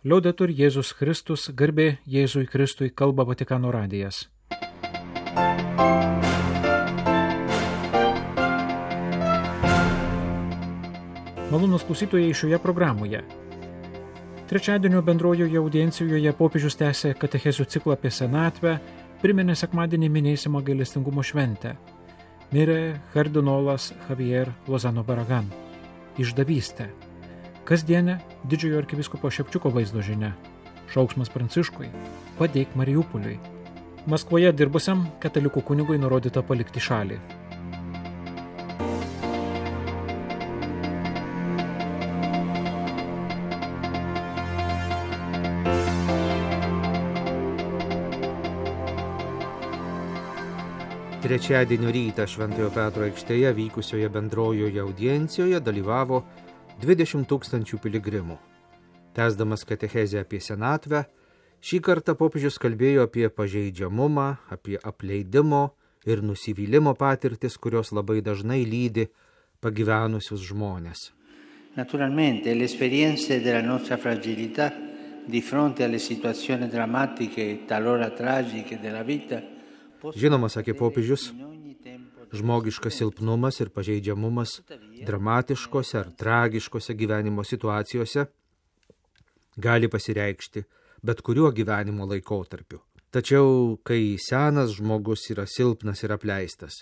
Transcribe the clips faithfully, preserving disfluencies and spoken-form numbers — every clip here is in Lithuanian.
Liaudetur Jėzus Kristus, garbė Jėzui Kristui, kalba Vatikano radijas. Malonūs klausytojai šioje programoje. Trečiadienio bendrojoje audiencijoje popiežius tęsė katechezių ciklą apie senatvę, priminė sekmadienį minėsimą gailestingumo šventę. Mirė kardinolas Javier Lozano Barragan. Išdavystė. Kasdienė didžiojo arkivyskupo Šepčiuko vaizdo žinia. Šauksmas Pranciškui. Padėk Mariupoliui. Maskvoje dirbusiam katalikų kunigui nurodyta palikti šalį. Trečiadienio rytą Šventojo Petro aikštėje vykusioje bendrojoje audiencijoje dalyvavo dvidešimt tūkstančių piligrimų. Tęsdamas katechezę apie senatvę, šį kartą popiežius kalbėjo apie pažeidžiamumą, apie apleidimo ir nusivylimo patirtis, kurios labai dažnai lydi pagyvenusius žmones. Naturalmente, le esperienze della nostra fragilità di fronte alle situazioni drammatiche e talora tragiche della vita. Žinoma, sakė popiežius, žmogiškas silpnumas ir pažeidžiamumas dramatiškose ar tragiškose gyvenimo situacijose gali pasireikšti bet kuriuo gyvenimo laikotarpiu. Tačiau, kai senas žmogus yra silpnas ir apleistas,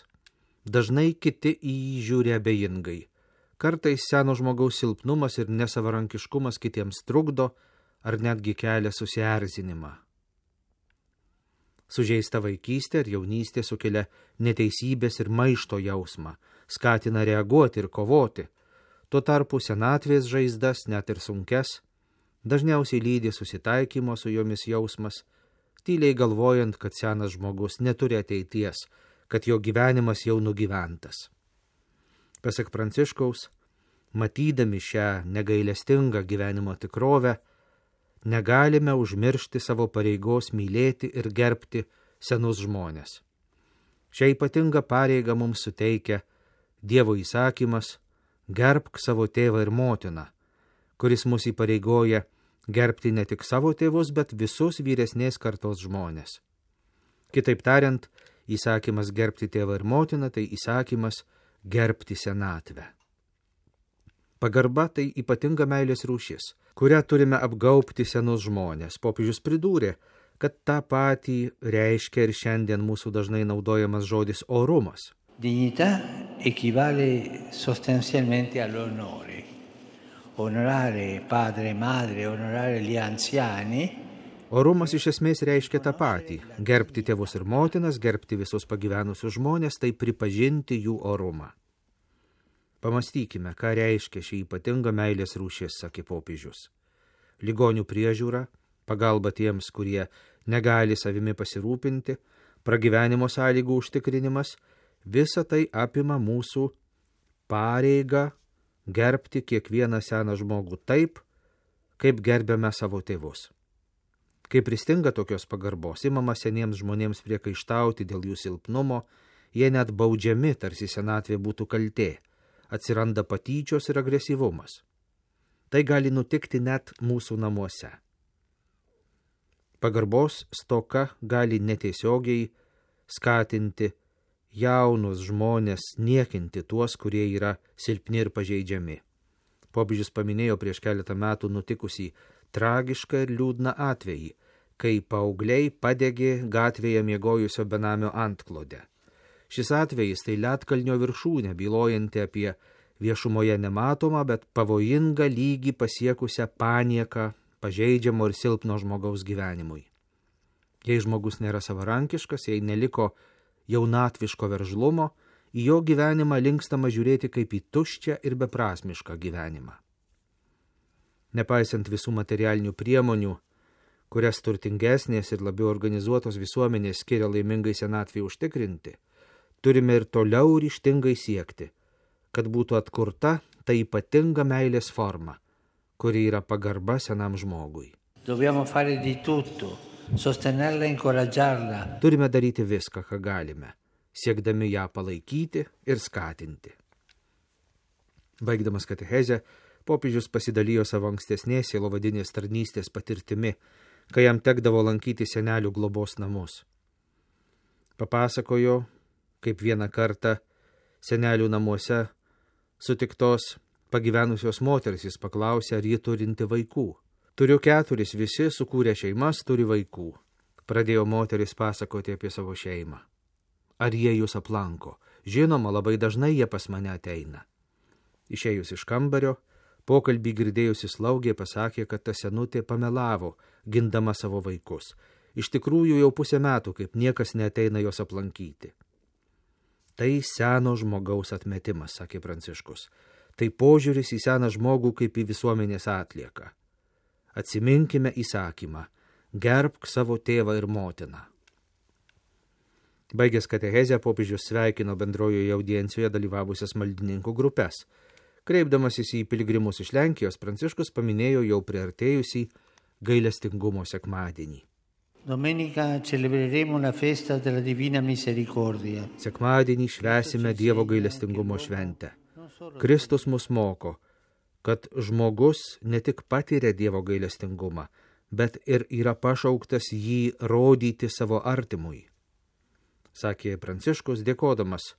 dažnai kiti į jį žiūri abejingai. Kartais seno žmogaus silpnumas ir nesavarankiškumas kitiems trukdo ar netgi kelia susierzinimą. Sužeista vaikystė ir jaunystė sukelia neteisybės ir maišto jausmą, skatina reaguoti ir kovoti. Tuo tarpu senatvės žaizdas, net ir sunkes, dažniausiai lydi susitaikymo su jomis jausmas, tyliai galvojant, kad senas žmogus neturi ateities, kad jo gyvenimas jau nugyventas. Pasak Pranciškaus, matydami šią negailestingą gyvenimo tikrovę, negalime užmiršti savo pareigos mylėti ir gerbti senus žmones. Šią ypatingą pareigą mums suteikia Dievo įsakymas gerbk savo tėvą ir motiną, kuris mus įpareigoja gerbti ne tik savo tėvus, bet visus vyresnės kartos žmonės. Kitaip tariant, įsakymas gerbti tėvą ir motiną tai įsakymas gerbti senatvę. Pagarba tai ypatinga meilės rūšis, kurią turime apgaubti senus žmonės. Popiežius pridūrė, kad tą patį reiškia ir šiandien mūsų dažnai naudojamas žodis orumas. Dignità equivale sostanzialmente all'onore. Onorare padre e madre, onorare gli anziani. Orumas iš esmės reiškia tą patį. Gerbti tėvus ir motinas, gerbti visus pagyvenusius žmonės, tai pripažinti jų orumą. Pamastykime, ką reiškia šį ypatingą meilės rūšis, sakė popiežius. Ligonių priežiūra, pagalba tiems, kurie negali savimi pasirūpinti, pragyvenimo sąlygų užtikrinimas, visa tai apima mūsų pareigą gerbti kiekvieną seną žmogų taip, kaip gerbiame savo tėvus. Kai pristinga tokios pagarbos, imama seniems žmonėms priekaištauti dėl jų silpnumo, jie net baudžiami, tarsi senatvė būtų kaltė. Atsiranda patyčios ir agresyvumas. Tai gali nutikti net mūsų namuose. Pagarbos stoka gali netiesiogiai skatinti jaunus žmonės niekinti tuos, kurie yra silpni ir pažeidžiami. Popiežius paminėjo prieš keletą metų nutikusį tragišką ir liūdną atvejį, kai paaugliai padegė gatvėje miegojusio benamio antklodę. Šis atvejis tai ledkalnio viršūnė, bylojanti apie viešumoje nematomą, bet pavojingą lygį pasiekusią panieką pažeidžiamo ir silpno žmogaus gyvenimui. Jei žmogus nėra savarankiškas, jei neliko jaunatviško veržlumo, į jo gyvenimą linkstama žiūrėti kaip į tuščią ir beprasmišką gyvenimą. Nepaisant visų materialinių priemonių, kurias turtingesnės ir labiau organizuotos visuomenės skiria laimingai senatvei užtikrinti, turime ir toliau ryžtingai siekti, kad būtų atkurta ta ypatinga meilės forma, kuri yra pagarba senam žmogui. Dobbiamo fare di tutto, sostenerla, incoraggiarla. Turime daryti viską, ką galime, siekdami ją palaikyti ir skatinti. Baigdamas katechezę, popiežius pasidalijo savo ankstesnės sielovadinės tarnystės patirtimi, kai jam tekdavo lankyti senelių globos namus. Papasakojo, kaip vieną kartą senelių namuose sutiktos pagyvenusios moteris jis paklausė, ar ji turinti vaikų. Turiu keturis, visi sukūrė šeimas, turi vaikų. Pradėjo moteris pasakoti apie savo šeimą. Ar jie jūs aplanko? Žinoma, labai dažnai jie pas mane ateina. Išėjus iš kambario, pokalbį girdėjusi slaugė pasakė, kad ta senutė pamelavo, gindama savo vaikus. Iš tikrųjų jau pusę metų, kaip niekas neateina jos aplankyti. Tai seno žmogaus atmetimas, sakė Pranciškus. Tai požiūris į seną žmogų kaip į visuomenės atlieką. Atsiminkime įsakymą, gerbk savo tėvą ir motiną. Baigęs katechezę, popiežius sveikino bendrojoje audiencijoje dalyvavusias maldininkų grupes. Kreipdamasis į piligrimus iš Lenkijos, Pranciškus paminėjo jau priartėjusį gailestingumo sekmadienį. Domenica celebreremo la festa della Divina Misericordia. Sekmadienį švęsime Dievo gailestingumo šventę. Kristus mus moko, kad žmogus ne tik patiria Dievo gailestingumą, bet ir yra pašauktas jį rodyti savo artimui. Sakė Pranciškus, dėkodamas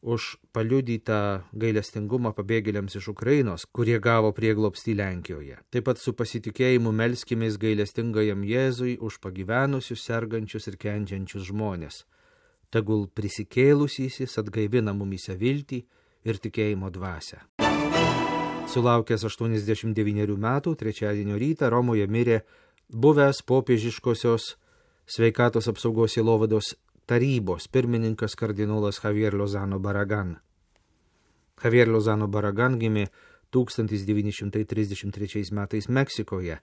už paliudytą gailestingumą pabėgėliams iš Ukrainos, kurie gavo prieglobstį Lenkijoje. Taip pat su pasitikėjimu melskimės gailestingajam Jėzui už pagyvenusius, sergančius ir kenčiančius žmonės. Tegul prisikėlusysis atgaivina mumyse viltį ir tikėjimo dvasią. Sulaukęs aštuoniasdešimt devynerių metų, trečiadienio rytą Romoje mirė buvęs popiežiškosios sveikatos apsaugos sielovados tarybos pirmininkas kardinolas Javier Lozano Barragan. Javier Lozano Barragan gimė tūkstantis devyni šimtai trisdešimt trečiais metais Meksikoje.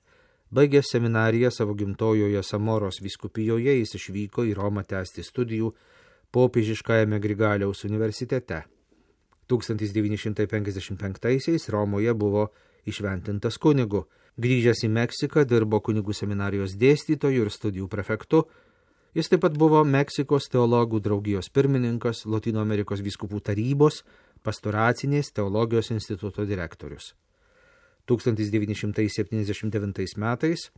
Baigęs seminariją savo gimtojoje Samoros vyskupijoje, jis išvyko į Romą tęsti studijų popiežiškajame Grigaliaus universitete. tūkstantis devyni šimtai penkiasdešimt penktaisiais Romoje buvo išventintas kunigu. Grįžęs į Meksiką dirbo kunigų seminarijos dėstytoju ir studijų prefektu. Jis taip pat buvo Meksikos teologų draugijos pirmininkas, Lotynų Amerikos vyskupų tarybos, pastoracinės teologijos instituto direktorius. tūkstantis devyni šimtai septyniasdešimt devintais metais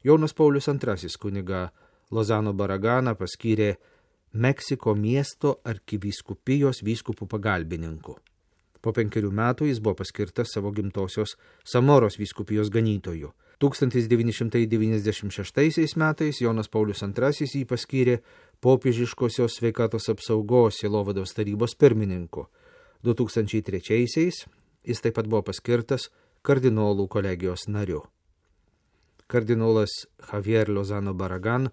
Jonas Paulius antrasis kunigą Lozano Barraganą paskyrė Meksiko miesto arkivyskupijos vyskupų pagalbininku. Po penkerių metų jis buvo paskirtas savo gimtosios Samoros vyskupijos ganytoju. tūkstantis devyni šimtai devyniasdešimt šeštaisiais metais Jonas Paulius antrasis jį paskyrė popiežiškosios sveikatos apsaugos sielovados tarybos pirmininku. du tūkstančiai trečiaisiais jis taip pat buvo paskirtas kardinolų kolegijos nariu. Kardinolas Javier Lozano Barragan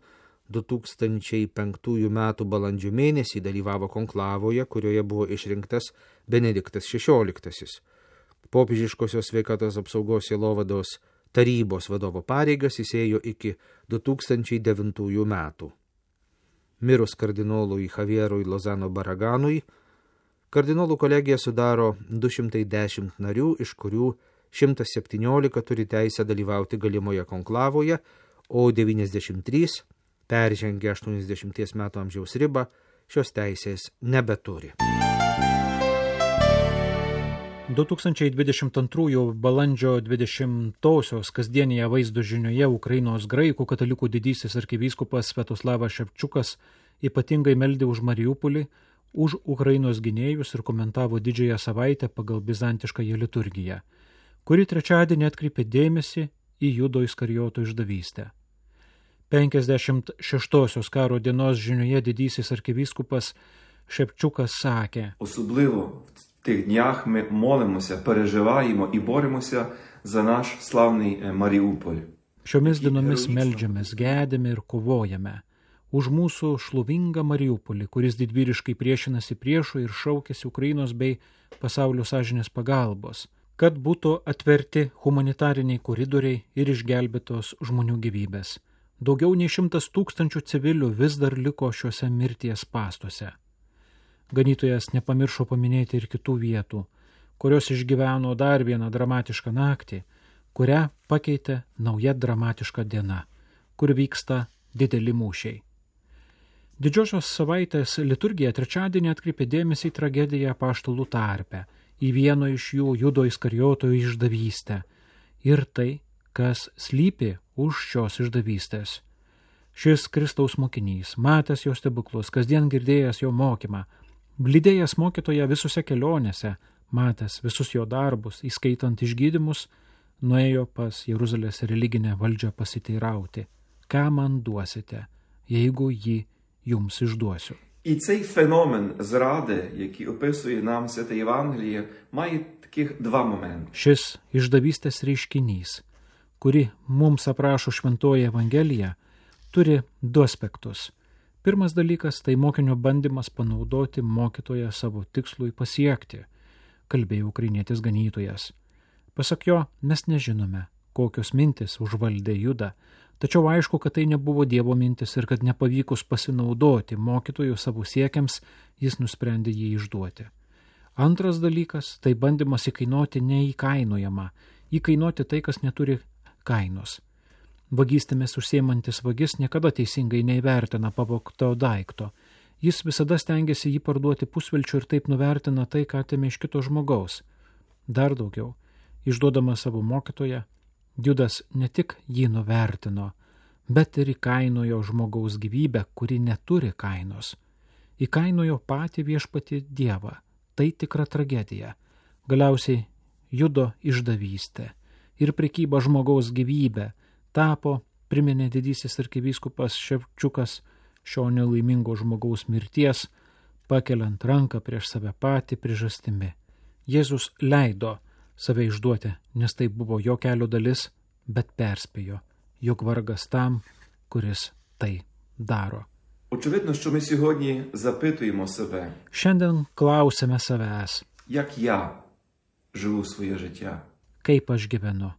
du tūkstančiai penktųjų metų balandžio mėnesį dalyvavo konklavoje, kurioje buvo išrinktas Benediktas šešioliktasis. Popiežiškosios sveikatos apsaugos sielovados tarybos vadovo pareigas jis ėjo iki du tūkstančiai devintųjų metų. Mirus kardinolui Javierui Lozano Barraganui, kardinolų kolegija sudaro du šimtai dešimt narių, iš kurių šimtas septyniolika turi teisę dalyvauti galimoje konklavoje, o devyniasdešimt trys peržengė aštuoniasdešimties metų amžiaus ribą, šios teisės nebeturi. du tūkstančiai dvidešimt antrųjų balandžio dvidešimtosios kasdienėje vaizdo žinioje Ukrainos graikų katalikų didysis arkivyskupas Sviatoslavas Ševčiukas ypatingai meldė už Mariupolį, už Ukrainos gynėjus ir komentavo didžiąją savaitę pagal bizantiškąją liturgiją, kuri trečiadienį atkreipė dėmesį į Judo Iskarijoto išdavystę. penkiasdešimt šeštosios karo dienos žinioje didysis arkivyskupas Шевчука sakė: Особливо в тих днях ми молимося, переживаємо і боремося за наш славний Маріуполь. Šiomis dienomis meldžiamės, gedėme ir kovojame už mūsų šlovingą Mariupolį, kuris didvyriškai priešinasi priešui ir šaukėsi Ukrainos bei pasaulio sąžinės pagalbos, kad būtų atverti humanitariniai koridoriai ir išgelbėtos žmonių gyvybės. Daugiau nei šimtas tūkstančių civilių vis dar liko šiuose mirties pastuose. Ganytojas nepamiršo paminėti ir kitų vietų, kurios išgyveno dar vieną dramatišką naktį, kurią pakeitė nauja dramatiška diena, kur vyksta dideli mūšiai. Didžiosios savaitės liturgija trečiadienį atkreipė dėmesį į tragediją apaštalų tarpe, į vieno iš jų Judo Iskarijoto išdavystę ir tai, kas slypi už šios išdavystės. Šis Kristaus mokinys, matęs jo stebuklus, kasdien girdėjęs jo mokymą, lydėjęs mokytoją visose kelionėse, matęs visus jo darbus, įskaitant išgydymus, nuėjo pas Jeruzalės religinę valdžią pasiteirauti, ką man duosite, jeigu jį jums išduosiu. І цей феномен зради, який описує нам Святе Євангеліє, має таких два моменти. Šis išdavystės reiškinys, kurį mums aprašo Šventoji Evangelija, turi du aspektus. Pirmas dalykas – tai mokinio bandymas panaudoti mokytoją savo tikslui pasiekti, kalbėjo ukrainietis ganytojas. Pasak jo, mes nežinome, kokios mintis užvaldė Judą, tačiau aišku, kad tai nebuvo Dievo mintis ir kad nepavykus pasinaudoti mokytojų savo siekiams, jis nusprendė jį išduoti. Antras dalykas – tai bandymas įkainuoti neįkainojamą, įkainuoti tai, kas neturi kainos. Vagystėmis užsiemantis vagis niekada teisingai neįvertina pavogto daikto. Jis visada stengiasi jį parduoti pusvelčiu ir taip nuvertina tai, ką atėmė iš kito žmogaus. Dar daugiau, išduodamas savo mokytoją, Judas ne tik jį nuvertino, bet ir įkainojo žmogaus gyvybę, kuri neturi kainos. Įkainojo patį viešpatį Dievą. Tai tikra tragedija. Galiausiai Judo išdavystė ir prekyba žmogaus gyvybę tapo, priminė didysis arkivyskupas Ševčiukas, šio nelaimingo žmogaus mirties, pakeliant ranką prieš save patį priežastimi. Jėzus leido save išduoti, nes tai buvo jo kelio dalis, bet perspėjo, jog vargas tam, kuris tai daro. Очевидно, що ми сьогодні запитуємо себе, Šiandien klausime savęs, як я живу своє життя. kaip aš gyvenu.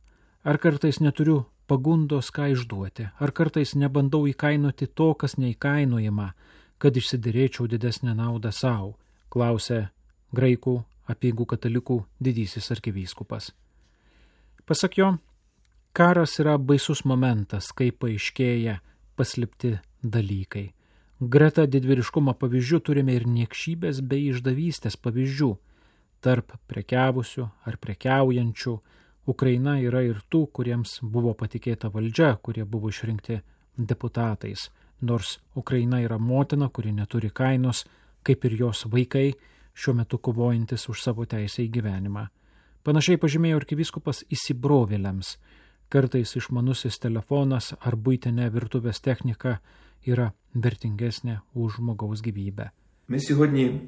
Ar kartais neturiu pagundos ką išduoti, ar kartais nebandau įkainuoti to, kas neįkainojama, kad išsiderėčiau didesnę naudą savo, klausė graikų apeigų katalikų didysis arkivyskupas. Pasak jo, karas yra baisus momentas, kai paaiškėja paslėpti dalykai. Greta didvyriškumo pavyzdžių turime ir niekšybės bei išdavystės pavyzdžių. Tarp prekiavusių ar prekiaujančių Ukraina yra ir tų, kuriems buvo patikėta valdžia, kurie buvo išrinkti deputatais. Nors Ukraina yra motina, kuri neturi kainos, kaip ir jos vaikai, šiuo metu kovojantis už savo teisę į gyvenimą. Panašiai pažymėjo arkivyskupas įsibrovėliams. Kartais išmanusis telefonas ar buitinė virtuvės technika yra vertingesnė už žmogaus gyvybę. Ми сьогодні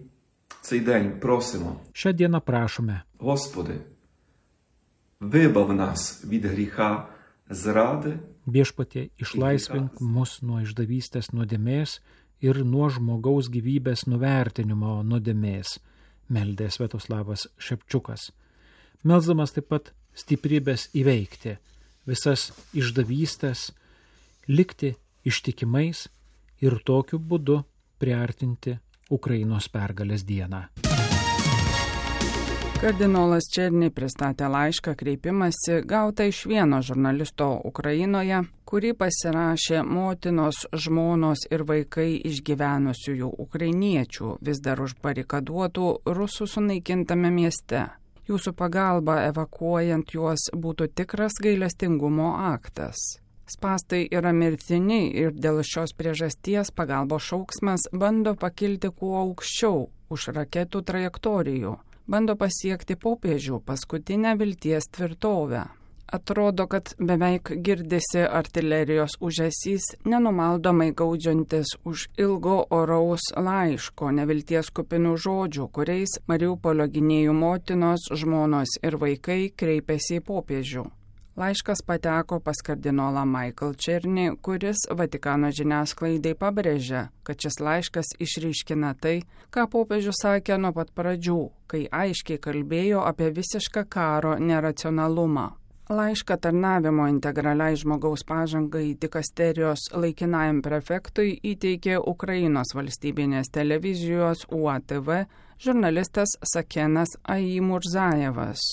цей день просимо, Šią dieną prašome, Господи, вибав нас від гріха зради, viešpatie, išlaisvink mus nuo išdavystės nuodėmės ir nuo žmogaus gyvybės nuvertinimo nuodėmės, meldė Sviatoslavas Ševčiukas. Melsdamas taip pat stiprybės įveikti visas išdavystės, likti ištikimais ir tokiu būdu priartinti Ukrainos pergalės dieną. Kardinolas Černy pristatė laišką kreipimąsi gautą iš vieno žurnalisto Ukrainoje, kurį pasirašė motinos, žmonos ir vaikai išgyvenusiųjų ukrainiečių vis dar užbarikaduotų rusų sunaikintame mieste. Jūsų pagalba evakuojant juos būtų tikras gailestingumo aktas. Spąstai yra mirtini ir dėl šios priežasties pagalbos šauksmas bando pakilti kuo aukščiau už raketų trajektorijų. Bando pasiekti popiežių paskutinę vilties tvirtovę. Atrodo, kad beveik girdisi artilerijos ūžesys, nenumaldomai gaudžiantis už ilgo oraus laiško, nevilties kupinų žodžių, kuriais Mariupolio gynėjų motinos, žmonos ir vaikai kreipėsi į popiežių. Laiškas pateko pas kardinolą Michael Černy, kuris Vatikano žiniasklaidai pabrėžia, kad šis laiškas išryškina tai, ką popiežius sakė nuo pat pradžių, kai aiškiai kalbėjo apie visišką karo neracionalumą. Laišką tarnavimo integraliai žmogaus pažangai dikasterijos laikinajam prefektui įteikė Ukrainos valstybinės televizijos U A T V žurnalistas Sakenas Aimurzajevas.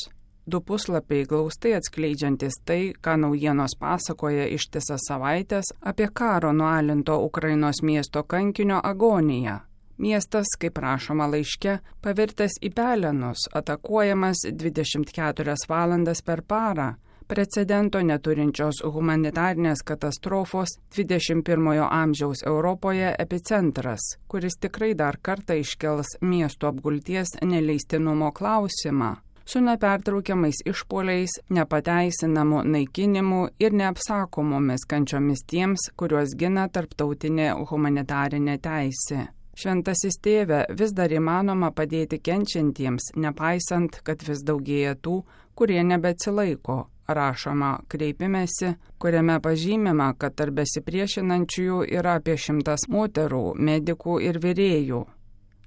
Du puslapiai glaustai atskleidžiantis tai, ką naujienos pasakoja ištisas savaitės apie karo nualinto Ukrainos miesto kankinio agoniją. Miestas, kaip rašoma laiške, pavirtęs į pelenus, atakuojamas dvidešimt keturias valandas per parą, precedento neturinčios humanitarinės katastrofos dvidešimt pirmojo amžiaus Europoje epicentras, kuris tikrai dar kartą iškels miesto apgulties neleistinumo klausimą, su nepertraukiamais išpuoliais, nepateisinamu naikinimu ir neapsakomomis kančiomis tiems, kuriuos gina tarptautinė humanitarinė teisė. Šventasis tėve, vis dar įmanoma padėti kenčiantiems, nepaisant, kad vis daugėja tų, kurie nebeatsilaiko, rašoma kreipimesi, kuriame pažymima, kad tarp besipriešinančiųjų yra apie šimtas moterų, medikų ir virėjų.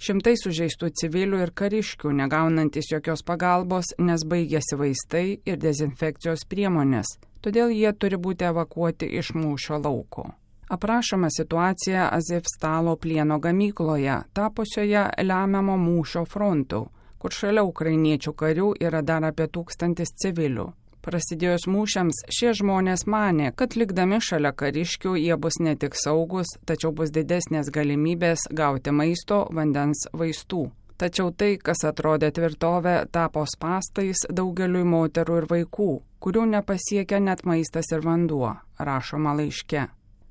Šimtai sužeistų civilių ir kariškių, negaunantis jokios pagalbos, nes baigėsi vaistai ir dezinfekcijos priemonės, todėl jie turi būti evakuoti iš mūšio lauko. Aprašoma situacija Azovstalo plieno gamykloje, tapusioje lemiamo mūšio frontu, kur šalia ukrainiečių karių yra dar apie tūkstantis civilių. Prasidėjus mūšiams, šie žmonės manė, kad likdami šalia kariškių jie bus ne tik saugus, tačiau bus didesnės galimybės gauti maisto, vandens, vaistų. Tačiau tai, kas atrodė tvirtovė, tapo spąstais daugeliui moterų ir vaikų, kurių nepasiekia net maistas ir vanduo, rašoma laiške.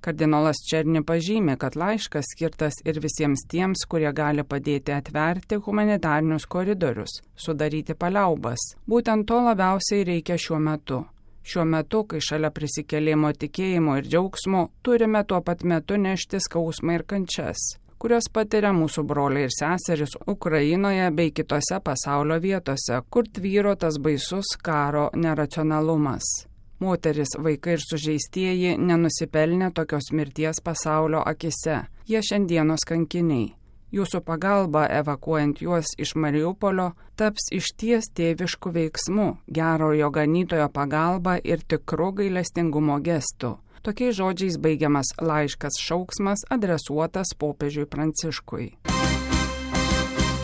Kardinolas Černi pažymė, kad laiškas skirtas ir visiems tiems, kurie gali padėti atverti humanitarinius koridorius, sudaryti paliaubas. Būtent to labiausiai reikia šiuo metu. Šiuo metu, kai šalia prisikėlimo tikėjimo ir džiaugsmo, turime tuo pat metu nešti skausmą ir kančias, kurios patiria mūsų broliai ir seserys Ukrainoje bei kitose pasaulio vietose, kur tvyro tas baisus karo neracionalumas. Moteris, vaikai ir sužeistieji nenusipelnė tokios mirties pasaulio akise. Jie šiandienos kankiniai. Jūsų pagalba, evakuojant juos iš Mariupolio, taps išties tėviškų veiksmų, gerojo ganytojo pagalba ir tikru gailestingumo gestu. Tokiais žodžiais baigiamas laiškas šauksmas adresuotas popiežiui Pranciškui.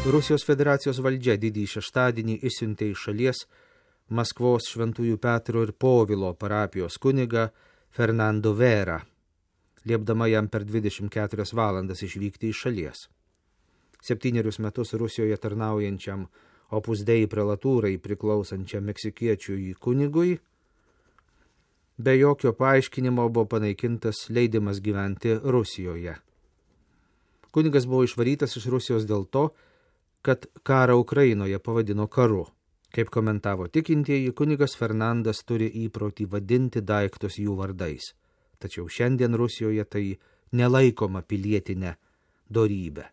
Rusijos federacijos valdžia didįjį šeštadienį išsiuntė iš šalies Maskvos Šventųjų Petro ir Povilo parapijos kunigą Fernando Vera, liepdama jam per dvidešimt keturias valandas išvykti iš šalies. Septynerius metus Rusijoje tarnaujančiam Opus Dei prelatūrai priklausančiam meksikiečiui kunigui be jokio paaiškinimo buvo panaikintas leidimas gyventi Rusijoje. Kunigas buvo išvarytas iš Rusijos dėl to, kad karą Ukrainoje pavadino karu. Kaip komentavo tikintieji, kunigas Fernandas turi įprotį vadinti daiktus jų vardais. Tačiau šiandien Rusijoje tai nelaikoma pilietinė dorybė.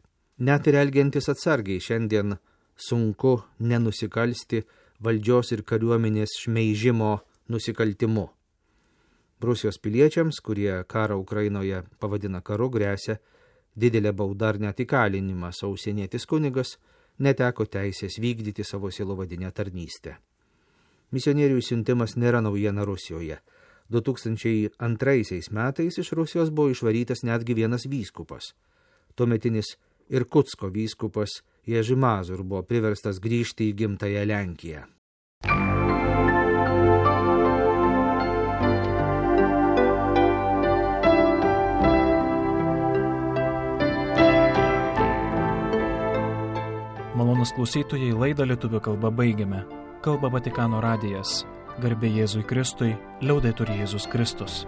Net ir elgiantis atsargiai šiandien sunku nenusikalsti valdžios ir kariuomenės šmeižimo nusikaltimu. Rusijos piliečiams, kurie karą Ukrainoje pavadina karu, gresia didelė bauda ar net įkalinimas, o užsienietis kunigas neteko teisės vykdyti savo sielovadinę tarnystę. Misionierių siuntimas nėra naujiena Rusijoje. du tūkstančiai antraisiais metais iš Rusijos buvo išvarytas netgi vienas vyskupas. Tuometinis Irkutsko vyskupas Ježi Mazur buvo priverstas grįžti į gimtąją Lenkiją. Malonūs klausytojai, laidą lietuvių kalba baigiame. Kalba Vatikano radijas. Garbė Jėzui Kristui, liaudetur Jėzus Kristus.